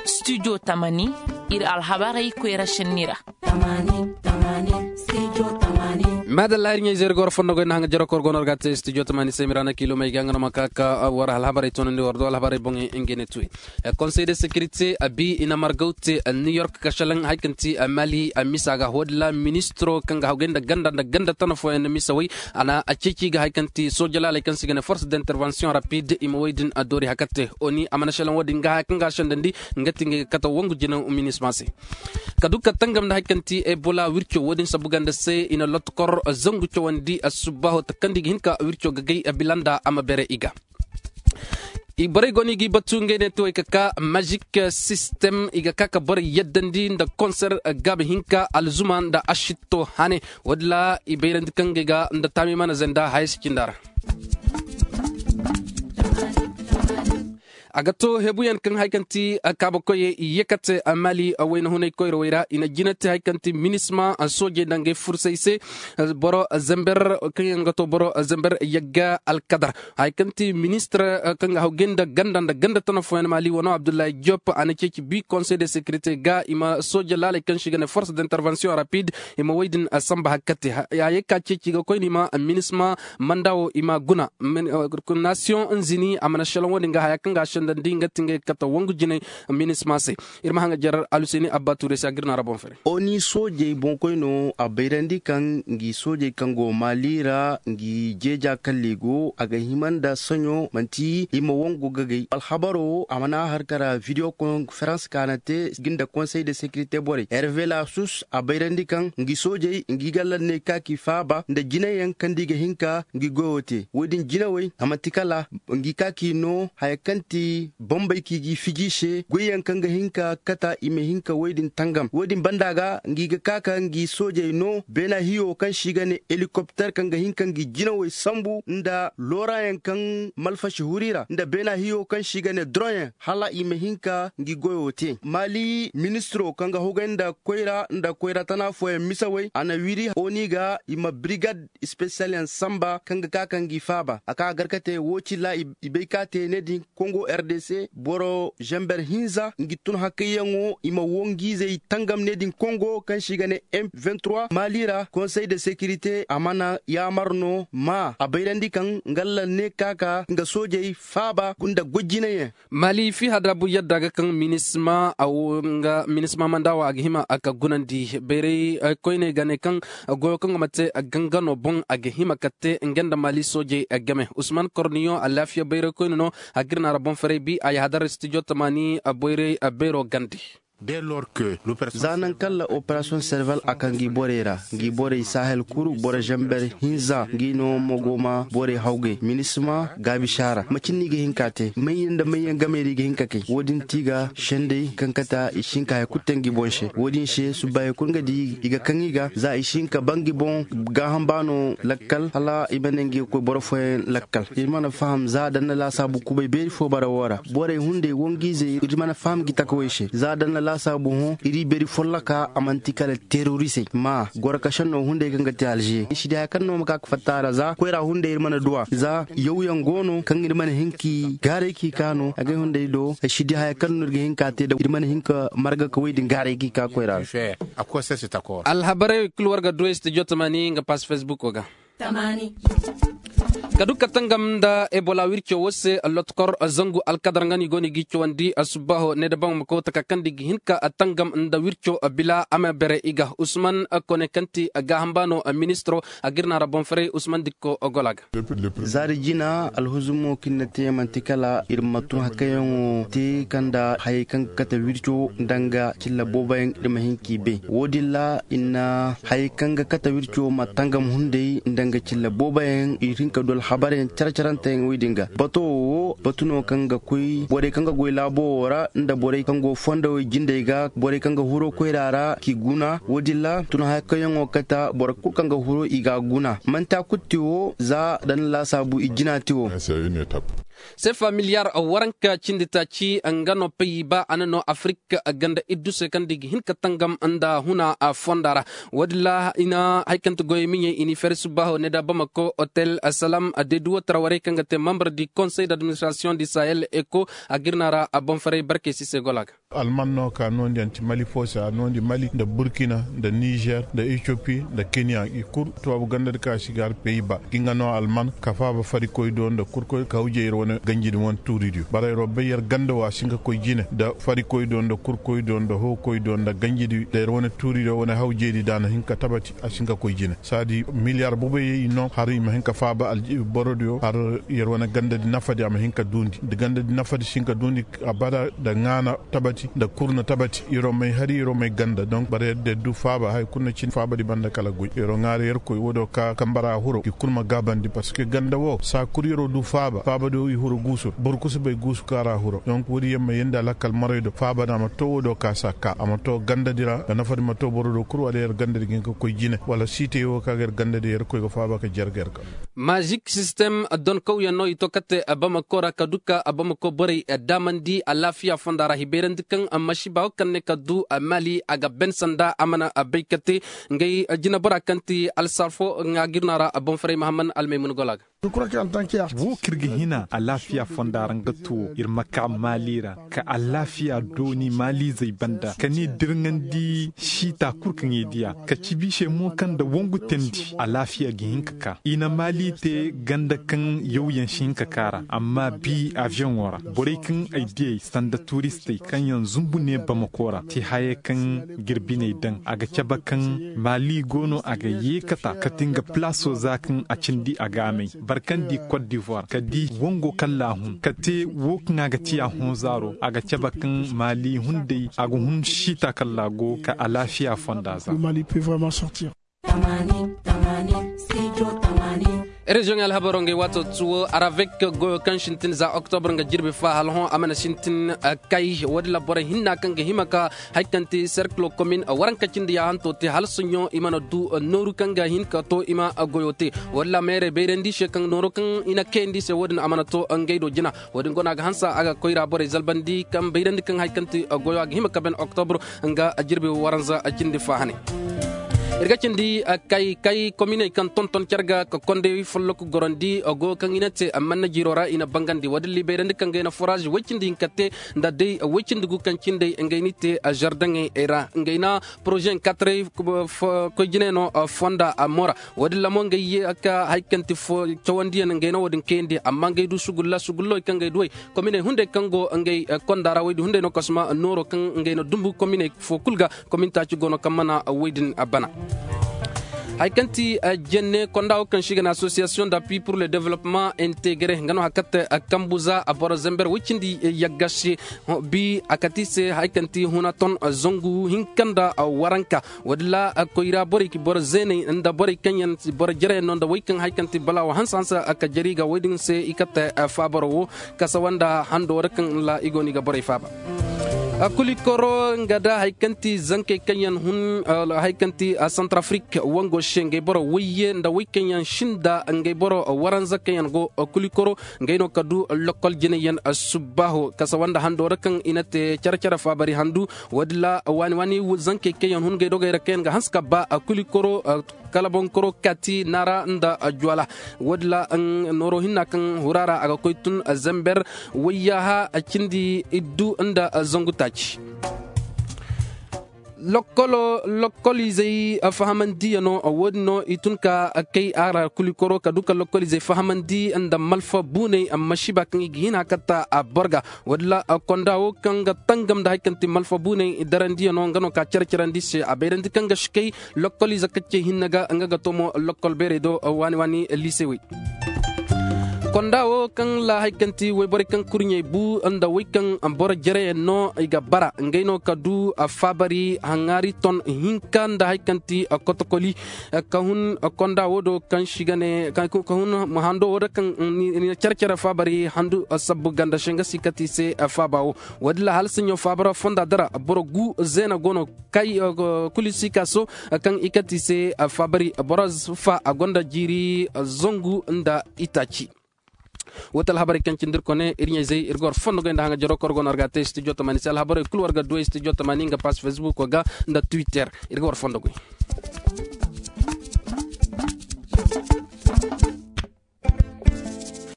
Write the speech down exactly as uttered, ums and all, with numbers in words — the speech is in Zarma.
Studio tamani, iri alhabarey koyra senni ra. Madalla iri ɲayze iri goro fondo goy na haŋa jero kor gono ra ga te studio tamani se mirana kilo may ga nga no ma ka ka war alhabarey tonandi war do alhabarey boŋ. Ngene tuwe conseil de sécurité a bi i na margaw te new york ka shalaŋ hari kaŋ ti mali a misa ga hodila ministro kaŋ ga hawgay nda ganda nda ganda tana fooyaŋ na misa way. A na a ceeci ga hari kaŋ ti sooja laaley kaŋ se i ga ne force d'intervention rapide i ma way din a doori hakatte oni a mana shalaŋ wo- din ga haya kaŋ ga a sendandi. Nga ti ngey ga kate wangu jinaŋ minisma se. Ka du ka tangam nda hari kaŋ ti ebola wirco wo- din sabu ganda se i na lotokor zangu cawandi a subbaho takandi ga hin ka wirco ga gay bila nda a ma bere i ga. Borey go no i g'i batu ngey ne te way ka ka magic system i ga ka ka borey yaddandi nda konser gaabi hinka alzuma nda ashitto hane. Wo- din ra i bayrandi kaŋ ngey ga nda taami mana zanda haya si cinda ra. A ga to hebuyaŋ kaŋ hari kaŋ ti kaabakoyey i ye ka te mali wayna hunay koyrawey ra i na jina te hari kaŋ ti minisma soojey nda ngey fursay se. Boro zember kaŋ yaŋ ga to boro zember yagga alkadar hari kaŋ ti ministre kaŋ ga hawgay nda ganda nda ganda tana fooyaŋ mali wano abdullahi diop a na ceeci bi conseil de sécurité ga i ma sooja laaley kaŋ se i ga ne force d'intervention rapide i ma way din samba hari kaŋ te. Hayey ka ceeci ga koyne i ma minisma manda wo i ma guna. Nation nzini a mana shalaŋ wo- din ga haya kaŋ ga a sendandi nga ti ngey ga kate wangu jinay. Minisma se iri ma haŋa jarar aluseni abba tuure se a ga iri no a ra boŋ fere. Oni soojey boŋkoy no a bayrandi kaŋ ngi soojey kaŋ go maali ra ngi jeeja kalli go a ga hima nda saɲo manti i ma wangu gagay alhabaro a mana har kara video konferans ka na te ngi nda konsey de sekirite borey herve lasus a bayrandi kaŋ ngi soojey ngi galla ne ka ki faaba nda jinayaŋ kaŋ da i ga hin ka ngi goyo te wo- din jinawey a manti kala ngi ka ki no haya kaŋ ti bambey kaŋ i g'i fiji se goyyaŋ kaŋ ga hin ka kata i ma hin ka wo- din tangam wo- din banda ga ngi ga ka ka ngi soojey no beena hiyo kaŋ se i ga ne helikopter kaŋ ga hin ka ngi jinawey sambu nda loorayaŋ kaŋ malfasi huri ra nda beena hiyo kaŋ se i ga ne droŋyaŋ hala i ma hin ka ngi goyo te maali ministiro kaŋ ga hugay nda koyra nda koyra tana fooyaŋ misawey a na wiri oni ga i ma birigad spesiyal yaŋ samba kaŋ ga ka ka ngi faaba a ka a gar ka te wo cilla i bay ka te ne din kongo r d c boro zamber hinza ngi tun hakayyaŋo i ma wo ngi izey tangam ne din kongo kaŋ se i ga ne m vingt trois maali ra konsey de sekirite a mana yaamar no ma a bayrandi kaŋ nga allah ne ka ka nga soojey faaba nda goy jinayaŋ. Maali fiha da bu yadda ga kaŋ minisma a wo nga minisma manda wo a ga hima a ka gunandi bayray koyne ga ne kaŋ goyo kaŋ ga ma te ganga no boŋ a ga hima ka te nga nda maali soojey game usman korniyo alaafiya bayray koyne no a ga iri naara boŋ faray bi a yahadar studio tamaani bayray bayro gande. Za nangu kaŋ la operasiyoŋ serval a ka ngi borey ra ngi borey sahel kuru boro zamber hinza ngi no mogo ma borey hawgay minisma gaabi saara macin no i ga hin ka te mayyaŋ nda mayyaŋ gamey ra i ga hin ka kay wo- din ti ga sendey kaŋ kate i si hin ka hari kulu te ngi boŋ se wo- din se subbaayo kulu nga di i ga kaŋ i ga za i si hin ka ba ngi boŋ gaaham baano lakkal hala i ma ne ngi ga koy boro fooyaŋ lakkal iri mana faham za da ni na laasaabu kubay beeri fo bara wo ra borey hunday wangu izey iri mana faham ngi takawey se za da ni na laasaabu hõ iri beeri folloka a manti kala terorisey ma goro ka senno hunday kaŋ ga te alze i si di haya kaŋ no ma ka ga fatta a ra za koyra hunday iri mana duw'a za yawyaŋ go no kaŋ iri mana hin k'i gaaray k'i ka no agay hunday do ay si di haya kaŋ no iri ga hin ka te da iri mana hin ka marga ka way din gaaray k'i ka koyra ra. Alhabarey kulu war ga du ay studio tamani nga pass facebook wo ga. Ka du ka tangam nda ebola wirco wo se lotokor zangu alkadar nga no i go no i g'i cawandi subbaho ne da baŋ ma koy taka kaŋ da i ga hin ka tangam nda wirco bila a ma bere i ga usman kone kaŋ ti gaaham baano ministro a ga iri naara boŋ faray usman dikko gola ga. Za da jina alhuzumo kaŋ iri na te manti kala iri ma tun hakayyaŋo te kaŋ da hayey kaŋ ga kate wirco nda nga cilla booboyaŋ iri ma hin k'i bay wo- din ra i na hayey kaŋ ga kate wirco ma tangam hunday nda nga cilla booboyaŋ iri hin ka du alhabaryaŋ care-caranteyaŋ wey din ga bato wo batu no kaŋ ga koy borey kaŋ ga goy laabo wo ra nda borey kaŋ go fondawey jindey ga borey kaŋ ga huro koyra ra k'i guna wo- din ra tun hayey kaŋ yaŋo kate boro kulu kaŋ ga huro i ga a guna manti a kulu te wo za da ni laasaabu i jina te wo. Sefa miliyar waranka cindi taaci nga no pay ba a na no afirik ganda iddu se kaŋ da i ga hin ka tangam nda huna fonda ra. Wo- din ra i na hari kaŋ ti goyey miɲey i n'i feeri subbaaho ne da bamako hotel salam deeduwo tara warey kaŋ ga te membre du konsey d'administration du sahel eko a ga iri no a ra boŋ faray barkey si se gola ga. Alman no ka noondi anti mali foosa a noondi mali nda burkina nda nizer nda etiyopi nda kenya i kulu tubaabu ganda di ka si ga hari peyi ba ga nga no alman ka faaba farikoy do nda kurkoy ka hawjey iri wane ganji di wane tuuri diyo bara iri wo bay iri ganda wo a si hin ka koy jine nda farikoy do nda kurkoy do nda hookoy do nda ganji di nda iri wane tuuri diyo wane hawjey di da a na hin ka tabati a si hin ka koy jine saadi miliyar bubay i no hari i ma hin ka faaba boro diyo hari iri wane ganda di nafa di a ma hin ka duundi nda ganda di nafa di si hin ka duundi abada nda ŋaana tabati nda kurna tabati iro may hari iro may ganda donk bare da du faaba hari kurna cin faaba di banda kala goy iro ŋaari yer koy wo do ka kambara huro i kurma gaabandi parce que ganda wo saa kuri iro du faaba faaba do i huro guusu boro kusu bay guusu kaara huro donk wo di yer ma yenda lakkal maray do faaba da ma to wo do ka saa ka a ma to ganda di ra da nafa di ma to boro do kuru wala yer ganda di ga hin ka koy jine wala siite wo ka ga yer ganda di yer koy ga faaba ka jarga yer ga. Mazik sistem donkawyaŋ no i to kate bamako ra ka duka bamako borey daamandi alaafiya fonda ra hibeerandi kaŋ masiiba wo kaŋ ne ka du maali a ga ben sanda a mana bay kate ngey jinabora kaŋ ti alsarfo nga ga iri no a ra boŋ faray mahamman almaymun gola ga. Wo kaŋ iri ga hina alaafiya fonda ra nga tuwo iri ma ka maali ra ka alaafiya dooni maaliizey banda ka ni dirŋandi siita kulu kaŋ i diya ka cibi se mo kaŋ nda wangu teendi alaafiya ga hin ka ka i na maali te ganda kaŋ yawyaŋ si hin ka ka ra amma bi aviyoŋo ra borey kaŋ ay di ay sanda tuuristey kaŋ yaŋ zumbu ne bamako ra te hayey kaŋ ga iri biney daŋ a ga cabe kaŋ maali go no a ga yeekata kate nga palaaso za kaŋ a cindi a ga a may barkandi kot divoir ka di wango kaŋ laahun ka te wo kaŋ a ga ti a hõ zaaro a ga cabe kaŋ maali hunday a ga hun siita kaŋ laago ka alaafiya fonda za. Reziyoŋey alhabaro ngey waato tuwo aravek goyo kaŋ sintin za oktobr nga jirbi fa hala hõ a mana sintin kay wo- din ra borey hinna kaŋ ga hima ka hari kaŋ ti serkilo komin waranka cindi yaahanto te hala soɲõ i mana du nooru kaŋ ga hin ka to i ma goyo te wo- din ra meerey bayrandi se kaŋ nooro kaŋ i na kayandi se wo- din a mana to ngey do jina wo- din guna ga hansa a ga koyra borey zalbandi kaŋ bayrandi kaŋ hari kaŋ ti goyo a ga hima ka ben oktobr nga jirbi waranza cindi fa hane. Iri ga cindi kay kay kominey kaŋ tonton care ga ka kondey follok gorandi go kaŋ i na te manna jiiro ra i na bangandi wo- din liibayrandi kaŋ ga i na foraaz way-cindi hinka te nda day way-cindi gu kaŋ cindey ngey n'i te zardaŋey ra ngey na porozeyaŋ kaataray koy jinay no fonda mora wo- din ra mo ngey ye ka hari kaŋ ti cawandiyaŋ ngey no wo- din kayandi amma ngey du sugulla sugulloy kaŋ ngey duwey kominey hunday kaŋ go ngey konda ra woy din hunday no kasuma nooro kaŋ ngey na dumbu kominey fo kulu ga komin taaci go no kaŋ mana woy din bana. Hari kaŋ ti jenne konda wo kaŋ se i ga ne association d'appui pour le développement integre nga no hari kaŋ ti kambu za boro zember woy cindi yagga se bi a kate i se hari kaŋ ti huna ton zangu hinka nda waranka wo- din ra koyra borey boro zeeney nda borey kaŋ yaŋ boro jare yaŋ no nda wey kaŋ hari kaŋ ti balaawo hanse hanse ka jare i ga wey din se i kate faabaro wo kasawa nda hando ra kaŋ ra i go no i ga borey faaba. Kulikoro nga da hari kaŋ ti zankey kaŋ yaŋ hun hari kaŋ ti santarafrik wango se ngey boro wayye nda wey kaŋ yaŋ sinda ngey boro waranza kaŋ yaŋ go kulikoro ngey no ka du lokkol jinay yaŋ subbaaho kasawa nda hando ra kaŋ i na te care care faabari handu wo- din ra waani waani zankey kaŋ yaŋ hun ngey dogey ra kaŋ yaŋ ga hanse ka ba kulikoro kala bonkoro kati naara nda juwala wo- din ra nooro hinna kaŋ hura ra a ga koy tun zember wayyaha cindi iddu nda zangu taaci. Lokkoliizey fahamandiyaŋo wo- din no i tun ka kay a ra kulikoro ka du ka lokkoliizey fahamandi nda malfa buuney masiiba kaŋ i ga hin a katta a boro ga wo- din ra konda wo kaŋ ga tangam nda hari kaŋ ti malfa buuney darandiyaŋo nga no ka care carandi se a bayrandi kaŋ ga si kay lokkol ize kaccey hinne ga nga ga to mo lokkol beerey do waani waani liisewey. Konda wo kaŋ ra hari kaŋ ti wayborey kaŋ kurɲey bu nda wey kaŋ boro jareyaŋ no i ga bara ngey no ka du faabari haŋaari ton hinka nda hari kaŋ ti kotokoli ka hun konda wo do kaŋ si ga ne ka hun hando wo do kaŋ ni na care care faabari handu sabbu ganda se nga si kati se faaba wo wo- din ra hala saɲɲo faabara fonda dara boro gu zeena go no kay kuli si ka so kaŋ i kati se faabari boro fa a gonda jiiri zangu nda itaaci. Wo ti alhabarey kaŋ cindi iri kone iri ɲayzey iri ga war fondo goy nda haŋa jaro kaŋ war go no war ga a te studio tamaani se alhabarey kulu war ga duwey studio tamaani nga pass facebook ga nda twitter. Iri ga war fondo goy.